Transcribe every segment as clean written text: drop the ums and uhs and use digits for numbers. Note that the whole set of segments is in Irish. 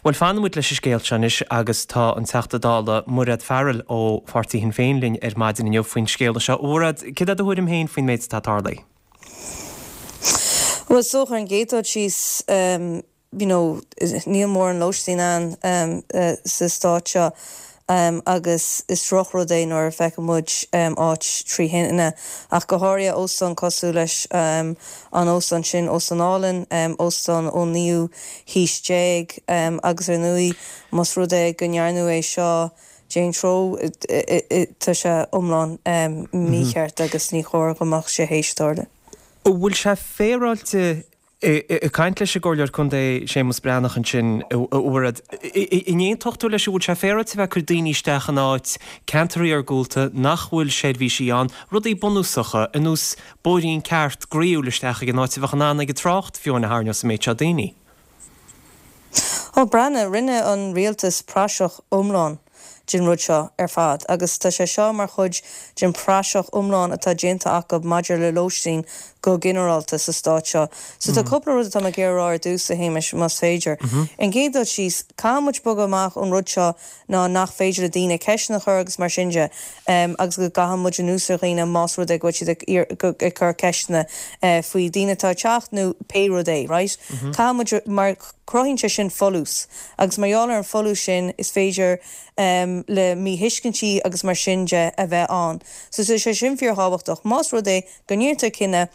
Bhuel, fanfaidh muid leis an scéal seo anois agus tá an Teachta Dála Mairéad Farrell ó pháirtí Shinn Féin linn ar maidin inniu faoin scéala seo. A Mhairéad, céard é do thuairim féin faoin méid atá tarlaithe? Bhuel, is dócha ar an gcéad dul síos, you know, níl mórán lóistín ann sa stát seo agus is drochrud é nuair a feiceann muid áit trí thine, ach go háirithe óstán cosúil leis an óstán sin, óstán álainn, óstán ón naoú haois déag agus ar ndóigh más rud é go ndearnadh é seo d'aon treo, tá sé iomlán mícheart agus ní chóir go mbeadh sé théis tarlú. An bhfuil sé féaráilte Ag caint leis an gComhairleoir Contae Séamus Breathnach ansin, a Mhairéad, an aontódh tú leis an bhfuil sé féaráilte a bheith ag cur daoine isteach in áit, ceantar iargúlta, nach bhfuil seirbhísí ann, rudaí bunúsacha, ar nós bóithrín ceart groíúil isteach ag an áit a bheadh in ann ag an trácht fiú amháin a tharraingt an méid seo daoine? Ó, breathnaigh, rinne an rialtas praiseach iomlán den rud seo ar fad agus tá sé seo mar chuid den praiseach iomlán atá déanta acu maidir le lóistín go ginearálta sa stát seo. So tá cúpla rud atá mé ag iarraidh a rá ar dtús, a Shéamais, más féidir. Ar an gcéad dul síos, caithfidh muid bogadh amach ón rud seo ná nach féidir le daoine ceisteanna a chur agus mar sin de agus go gcaithfidh muid anuas ar dhaoine más rud é go bhfuil siad ag cur ceisteanna faoi daoine atá ag teacht nó pé rud é, right? Caithfidh muid mar. Cruthaíonn sé sin folús, agus mar gheall ar an folús sin, is féidir le míthuiscintí agus mar sin de a bheith ann. So tá sé sin fíorthábhachtach. Más rud é go ndéantar cinneadh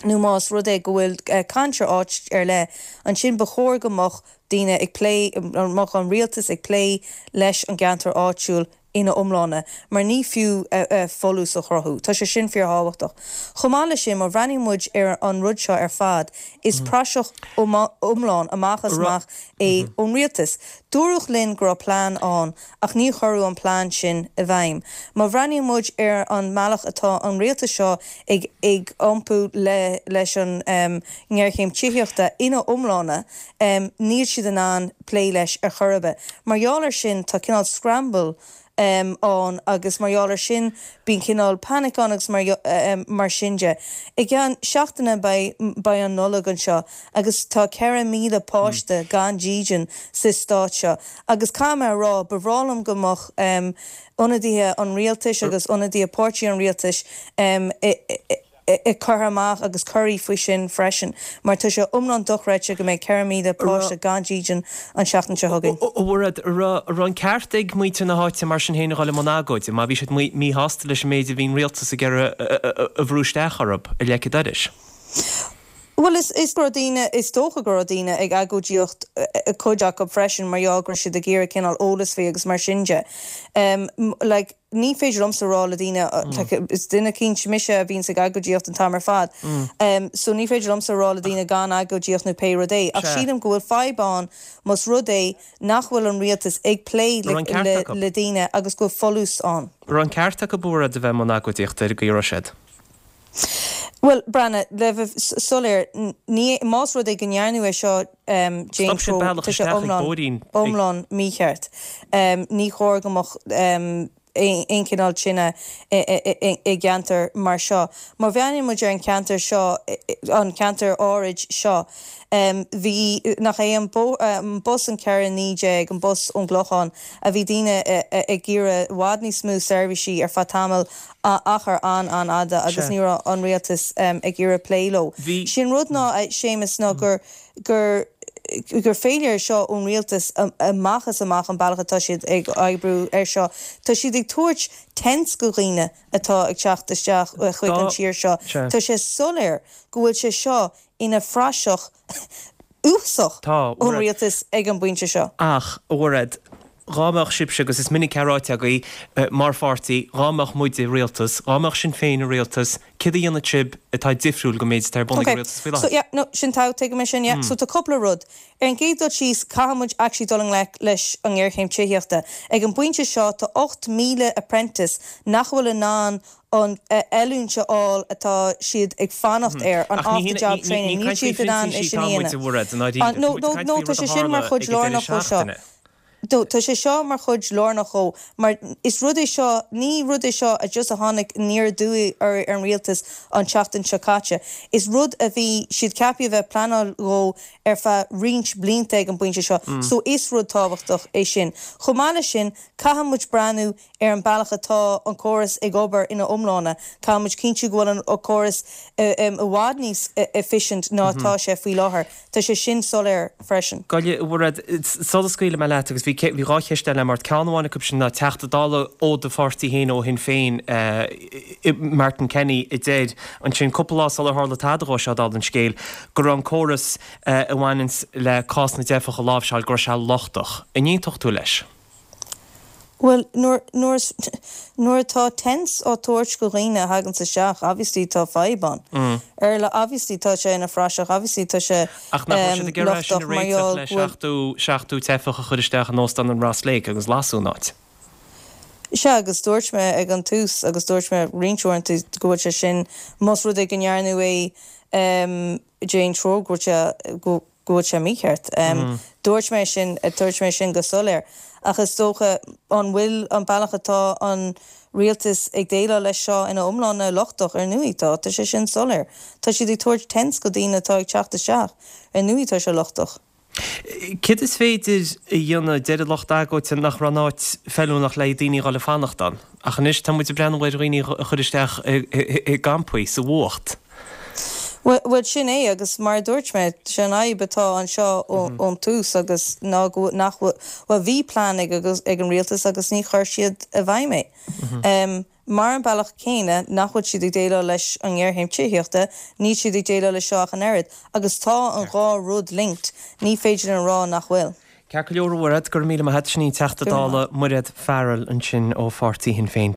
nó más rud é go bhfuil caint ar áit ar leith, ansin ba chóir go mbeadh daoine ag plé, mbeadh an rialtas ag plé leis an gceantar áitiúil ina iomláine, mar ní fiú folús a chruthú. Tá sé sin fíorthábhachtach. Chomh maith leis sin, má bhreathnaíonn muid ar an rud seo ar fad, is praiseach iomlán amach is amach é ón rialtas. Dúradh linn go raibh plean ann, ach ní cuireadh an plean sin i bhfeidhm. Má bhreathnaíonn muid ar an mbealach atá an rialtas seo ag iompú leis an ngéarchéim tithíochta ina iomláine, níl siad in ann plé leis ar chor ar bith. Mar gheall air sin tá cineál scramble ann agus mar gheall air sin bíonn cineál panic ann agus mar sin de. I gceann seachtaine beidh beidh an Nollaig anseo agus tá 4,000 páiste gan dídean sa stát seo agus caithfidh mé a rá ba bhreá liom go mbeadh ionadaithe an rialtais agus ionadaithe páirtí an rialtais i curtha amach agus curtha faoi sin freisin mar tá sé iomlán dochreidte go mbeidh 4,000 páiste gan dídean an tseachtain seo chugainn. A Mhairéad, an raibh an ceart ag muintir na háite mar sin féin a dhul i mbun agóide má bhí siad míshásta leis an méid a bhí an rialtas ag iarraidh a bhrú isteach orthu i leic an dorais? Bhuel, is go raibh daoine, is dócha go raibh daoine ag agóidíocht, cuid acu freisin, mar gheall go raibh siad ag iarraidh cineál eolas faoi agus mar sin de. Like. Ní féidir liomsa rá le daoine, like, is duine eicínt mise a bhíonns ag agóidíocht an t-am ar fad, so ní féidir liomsa rá le daoine gan agóidíocht nó pé rud é, ach sílim go bhfuil fadhb ann más rud é nach bhfuil an rialtas ag plé le daoine agus go bhfuil folús ann. Raibh an ceart acu a Mhairéad a bheith i mbun agóidíochta ar an gcaoi a raibh siad? Bhuel, breathnaigh, le bheith soiléir, ní, más rud é go ndearnadh é seo d'aon Stop siad treo, bealach tá sé isteach ag iomlán, bóithrín ag. iomlán mícheart. Ní chóir go mbeadh aon chineál tine i gceantar mar seo. Má bhreathnaíonn muid ar an cheantar seo, an ceantar áirid seo, bhí, nach é an bus an 4:19, an bus ón gClochán, a bhí daoine ag iarraidh i bhfad níos mó seirbhísí ar feadh tamaill, achar an-an-fhada agus ní raibh an rialtas ag iarraidh plé leo. Bhí. Sé an rud ná, a Séamus, ná gur, gur, gur failure é seo ón rialtas amach is amach an bealach atá siad ag oibriú air seo. Tá siad ag tabhairt tents go dhaoine atá ag teacht isteach chuig an tír seo. Tá sé soiléir go bhfuil sé seo ina phraiseach uafásach Tá, ón rialtas ag an bpointe seo. Ach, a Mhairéad, dhá mbeadh sibhse, agus is minic é ráite agaibh, mar pháirtí, dhá mbeadh muid i rialtas, dhá mbeadh Sinn Féin i rialtas, céard a dhéanfadh sibh atá difriúil go méid atá ar bun ag Ok, an rialtas faoi so láthair? yeah, no, sin tá, tuigim é sin, yeah. So tá cúpla rud. Ar an gcéad dul síos, caithfidh muid actually dul i ngleic leis an ngéarchéim tithíochta. Ag an bpointe seo, tá 8,000 apprentice nach bhfuil in ann an oiliúint a fháil atá siad ag fanacht air, an Ach ní off the job ní training, ní níl caint faoi siad in ann é phrintísigh sin a atá muid, dhéanamh. a Mhairéad, i ndáiríre. No, Tá muid no, ag caint no, faoi tá rud a sé sin mar tharla chuid ag an deireadh lárnach dhó seo. seachtaine. No, tá sé seo mar chuid lárnach dhó, mar is rud é seo, ní rud é seo a just a tháinig aniar aduaidh ar an rialtas an tseachtain seo caite. Is rud a bhí siad ceaptha a bheith pleanáil dhó ar feadh roinnt blianta ag an bpointe seo. So is rud tábhachtach é sin. Chomh maith leis sin, caithfidh muid breathnú ar an bealach atá an córas ag obair ina iomláine. Caithfidh muid cinntiú go bhfuil an córas i bhfad níos efficient ná atá sé faoi láthair. Tá sé sin soiléir freisin. Gabh i leith, a Mhairéad, sula scaoilfidh mé leat, agus bhí bhí cheist eile agam ort, ceann amháin acu sin ná Teachta Dála ó do pháirtí féin, ó Shinn Féin, Martin Kenny, a deir ansin cúpla lá sular tharla tada dhó seo, dála an scéil, go raibh an córas a bhaineanns le cás na dteifeach a láimhseáil, go raibh sé lochtach. An aontódh tú leis? Bhuel, nuair, nuair, nuair atá tents á tabhairt go dhaoine a thaganns isteach, obviously tá fadhb ann. Ar la, obviously tá sé ina phraiseach, obviously tá sé, Ach nach raibh siad ag iarraidh é sin a lochtach mar réiteach gheall le go bhfuil. 70, 70 teifeach a chur isteach in Óstán an Ross Lake agus lasadh an áit? Sea, agus dúirt mé ag an tús, agus dúirt mé roinnt uaireanta go bhfuil sé sin, más rud é go ndearnadh é d'aon treo, go bhfuil sé, go, go bhfuil sé mícheart. Dúirt mé sin, dúirt mé sin go soiléir. Ach is dócha, an bhfuil an bealach atá an rialtas ag déileáil leis seo ina iomláine lochtach? Ar ndóigh tá, tá sé sin soiléir. Tá siad ag tabhairt tents go daoine atá ag teacht isteach. Ar ndóigh tá sé lochtach. Céard is féidir a dhéanamh? Deir an lucht agóide nach raibh an áit feiliúnach le daoine a dhul ag fanacht ann. Ach anois tá muid ag breathnú ar dhaoine a chur isteach i gcampaí sa bhfuacht. Bhuel, sin é, agus mar a dúirt mé, sé an fhadhb atá anseo ón tús agus ná go nach bhfuil, bhuel, bhí plean ag ag an rialtas agus ní chuir siad i bhfeidhm é. Mar an bealach céanna nach bhfuil siad ag déileáil leis an ngéarchéim tithíochta, níl siad ag déileáil leis seo ach an oiread. Agus tá an dhá rud linked, ní féidir linn a rá nach bhfuil. Ceart go leor, a Mhairéad, go raibh míle maith agat. Sin í an Teachta Dála Mairéad Farrell ansin ó pháirtí Shinn Féin.